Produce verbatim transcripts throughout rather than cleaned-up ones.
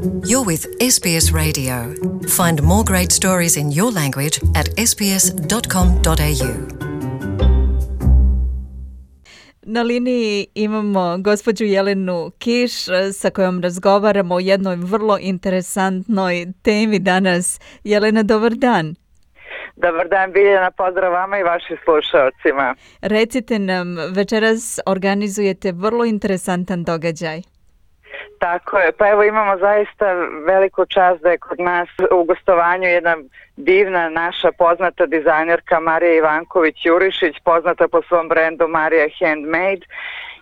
You're with S B S Radio. Find more great stories in your language at s b s dot com dot a u. Na liniji imamo gospođu Jelenu Kiš sa kojom razgovaramo o jednoj vrlo interesantnoj temi danas. Jelena, dobar dan. Dobar dan, Biljana, pozdrav vama i vašim slušalcima. Recite nam, večeras organizujete vrlo interesantan događaj. Tako je, pa evo imamo zaista veliku čast da je kod nas u gostovanju jedna divna naša poznata dizajnerka Marija Ivanković-Jurišić, poznata po svom brendu Marija Handmade,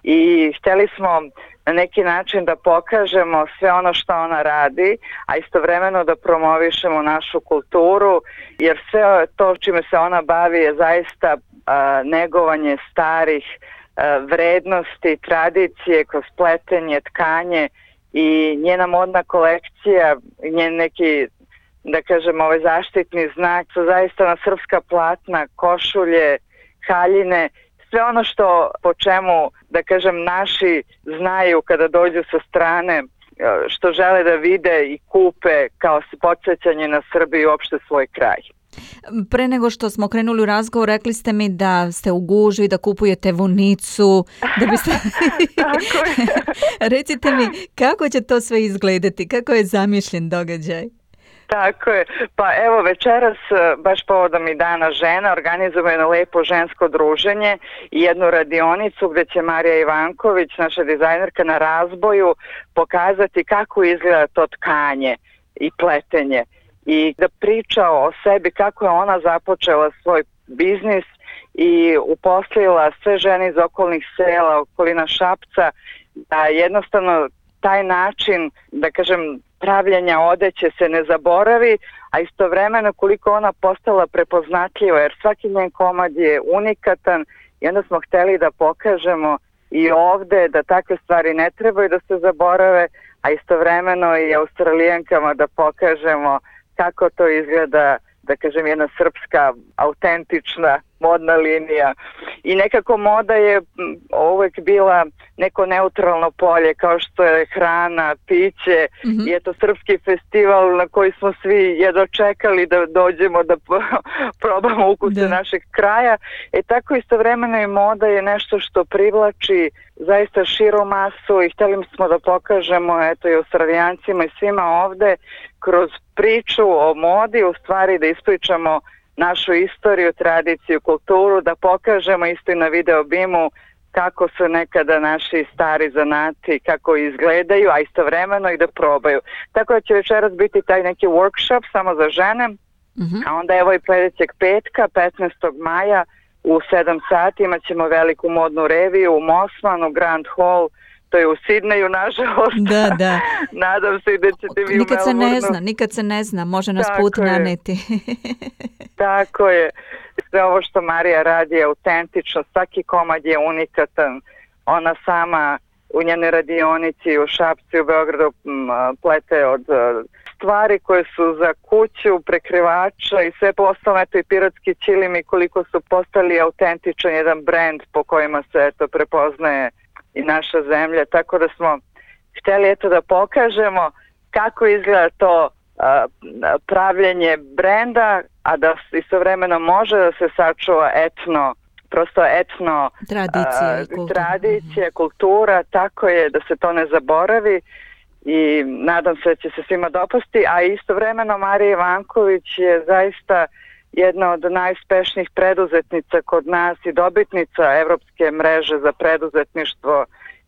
i htjeli smo na neki način da pokažemo sve ono što ona radi, a istovremeno da promovišemo našu kulturu, jer sve to čime se ona bavi je zaista a, negovanje starih a, vrednosti, tradicije kroz pletenje, tkanje, i njena modna kolekcija, njen neki, da kažem, ovaj zaštitni znak su zaista na srpska platna, košulje, haljine, sve ono što po čemu, da kažem, naši znaju kada dođu sa strane, što žele da vide i kupe kao podsjećanje na Srbiju i uopšte svoj kraj. Pre nego što smo krenuli u razgovor, rekli ste mi da ste u gužvi, da kupujete vunicu, da biste... Tako je. Recite mi, kako će to sve izgledati? Kako je zamišljen događaj? Tako je. Pa evo večeras, baš povodom i Dana žena, organizujemo jedno lepo žensko druženje i jednu radionicu gdje će Marija Ivanković, naša dizajnerka, na razboju pokazati kako izgleda to tkanje i pletenje. I da priča o sebi kako je ona započela svoj biznis i uposlila sve žene iz okolnih sela, okolina Šapca, da jednostavno taj način, da kažem, pravljenja odeće se ne zaboravi, a istovremeno koliko ona postala prepoznatljiva, jer svaki njen komad je unikatan i onda smo htjeli da pokažemo i ovde da takve stvari ne trebaju da se zaborave, a istovremeno i Australijankama da pokažemo kako to izgleda, da kažem, jedna srpska, autentična modna linija. I nekako moda je uvek bila neko neutralno polje, kao što je hrana, piće, mm-hmm. i eto srpski festival na koji smo svi jedno čekali da dođemo da probamo ukuse našeg kraja. E tako istovremeno i moda je nešto što privlači zaista širu masu i htjeli smo da pokažemo eto i Australijancima i svima ovde kroz priču o modi, u stvari da ispričamo našu istoriju, tradiciju, kulturu, da pokažemo isto i na video bimu kako su nekada naši stari zanati, kako izgledaju, a istovremeno i da probaju. Tako da će večeras biti taj neki workshop samo za žene, mm-hmm. a onda evo i sledećeg petka, petnaestog maja, u sedam sati imat ćemo veliku modnu reviju u Mosmanu, Grand Hall, to je u Sidneju, nažalost. Da, da. Nadam se da ćete vi nikad u Melbourneu. Nikad se ne zna, nikad se ne zna, može nas Tako put je. naneti. Tako je. Sve ovo što Marija radi je autentično, svaki komad je unikatan. Ona sama u njenoj radionici u Šapcu i u Beogradu plete od stvari koje su za kuću, prekrivača i sve postalo, eto i pirotski ćilimi, koliko su postali autentičan jedan brend po kojima se eto prepoznaje i naša zemlja, tako da smo htjeli eto da pokažemo kako izgleda to a, pravljenje brenda, a da istovremeno može da se sačuva etno, prosto etno tradicija, a, i kultura. tradicija, kultura, tako je, da se to ne zaboravi i nadam se da će se svima dopasti, a istovremeno Marija Ivanković je zaista jedna od najuspešnijih preduzetnica kod nas i dobitnica Evropske mreže za preduzetništvo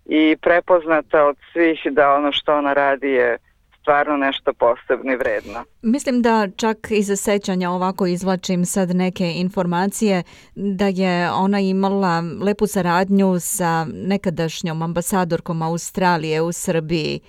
i prepoznata od svih da ono što ona radi je stvarno nešto posebno i vredno. Mislim da čak i za sećanja ovako izvlačim sad neke informacije da je ona imala lepu saradnju sa nekadašnjom ambasadorkom Australije u Srbiji.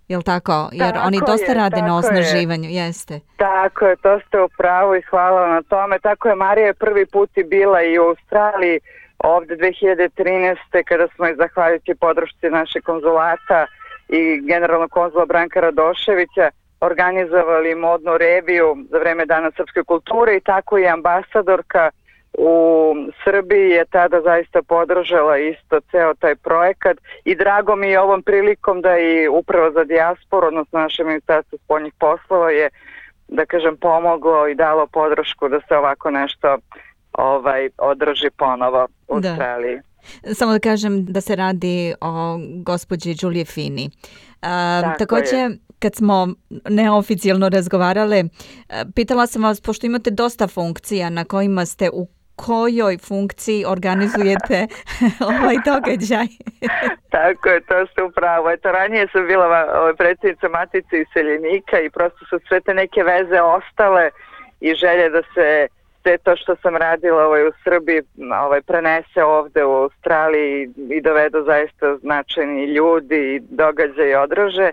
Jel tako? Jer tako oni dosta je, rade na osnaživanju, je. jeste. Tako je, to ste u pravu i hvala na tome. Tako je, Marija je prvi put i bila i u Australiji ovde dve hiljade trinaeste kada smo i zahvaljujući podršci naše konzulata i generalnog konzula Branka Radoševića organizovali modnu reviju za vreme Dana srpske kulture i tako i ambasadorka u Srbiji je tada zaista podržala isto ceo taj projekat i drago mi je ovom prilikom da i Uprava za dijasporu, odnosno naše Ministarstvo spoljnih poslova je, da kažem, pomoglo i dalo podršku da se ovako nešto ovaj, održi ponovo u da. Australiji. Samo da kažem da se radi o gospođi Giulia Fini. Uh, također, je. Kad smo neoficijalno razgovarale, pitala sam vas, pošto imate dosta funkcija na kojima ste, u kojoj funkciji organizujete ovaj događaj? Tako je, to ste upravo. Eto, ranije sam bila ovaj, predsjednica Matice iseljenika i prosto su sve te neke veze ostale i želje da se sve to što sam radila ovaj, u Srbiji ovaj, prenese ovde u Australiji i dovedu zaista značajni ljudi i događaje i odraže.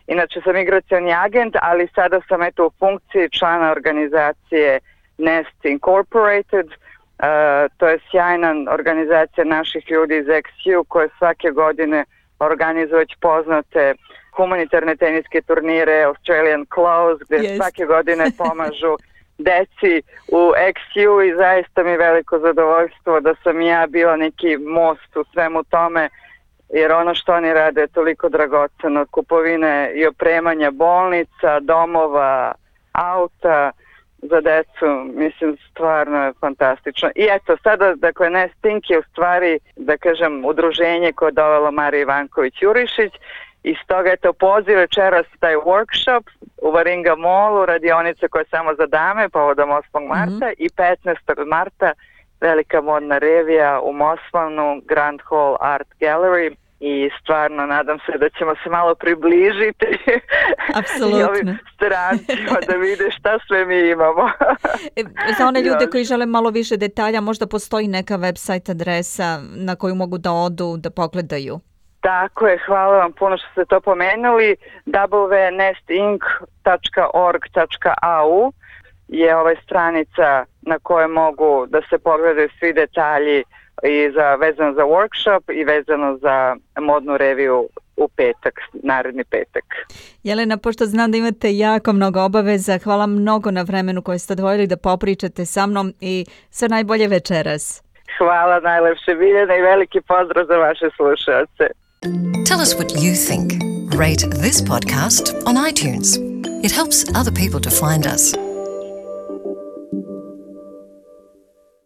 Inače sam migracioni agent, ali sada sam eto u funkciji člana organizacije Nest Incorporated. Uh, to je sjajna organizacija naših ljudi iz X U koje svake godine organizuju već poznate humanitarne teniske turnire Australian Close, gdje yes. svake godine pomažu deci u X U i zaista mi je veliko zadovoljstvo da sam ja bila neki most u svemu tome, jer ono što oni rade je toliko dragoceno, od kupovine i opremanja bolnica, domova, auta za decu, mislim, stvarno je fantastično. I eto, sada, dakle, Nest Inc je u stvari, da kažem, udruženje koje je dovelo Marija Ivanković-Jurišić i stoga, eto, poziv večeras taj workshop u Varinga Mallu, radionice koje je samo za dame, povodom osmog marta mm-hmm. i petnaestog marta velika modna revija u Moslavnu, Grand Hall Art Gallery. I stvarno nadam se da ćemo se malo približiti i ovim strancima da vide šta sve mi imamo. Za one ljude koji žele malo više detalja, možda postoji neka website adresa na koju mogu da odu, da pogledaju. Tako je, hvala vam puno što ste to pomenuli. double-u double-u double-u tačka nest inc tačka org tačka a u je ovaj stranica na kojoj mogu da se pogledaju svi detalji i za, vezano za workshop i vezano za modnu reviju u petak, naredni petak. Jelena, pošto znam da imate jako mnogo obaveza, hvala mnogo na vremenu koje ste odvojili da popričate sa mnom i sve najbolje večeras. Hvala najlepše, Biljana, i veliki pozdrav za vaše slušalce. Tell us what you think. Rate this podcast on iTunes. It helps other people to find us.